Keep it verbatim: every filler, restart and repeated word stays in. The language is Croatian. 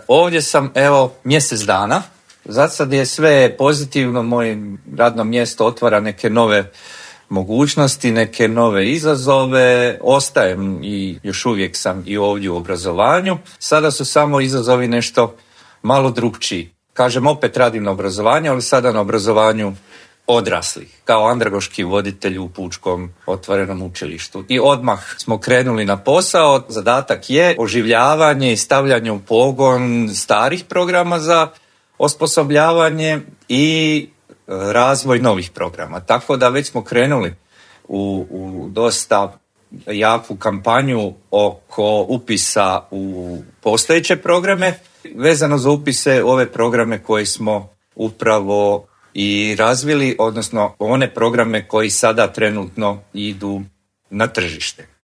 ovdje sam evo mjesec dana. Za sad je sve pozitivno, moje radno mjesto otvara neke nove mogućnosti, neke nove izazove, ostajem i još uvijek sam i ovdje u obrazovanju. Sada su samo izazovi nešto malo drukčiji. Kažem, opet radim na obrazovanju, ali sada na obrazovanju odraslih, kao andragoški voditelj u Pučkom otvorenom učilištu. I odmah smo krenuli na posao. Zadatak je oživljavanje i stavljanje u pogon starih programa za osposobljavanje i razvoj novih programa. Tako da već smo krenuli u, u dosta jaku kampanju oko upisa u postojeće programe, vezano za upise ove programe koje smo upravo i razvili, odnosno one programe koji sada trenutno idu na tržište.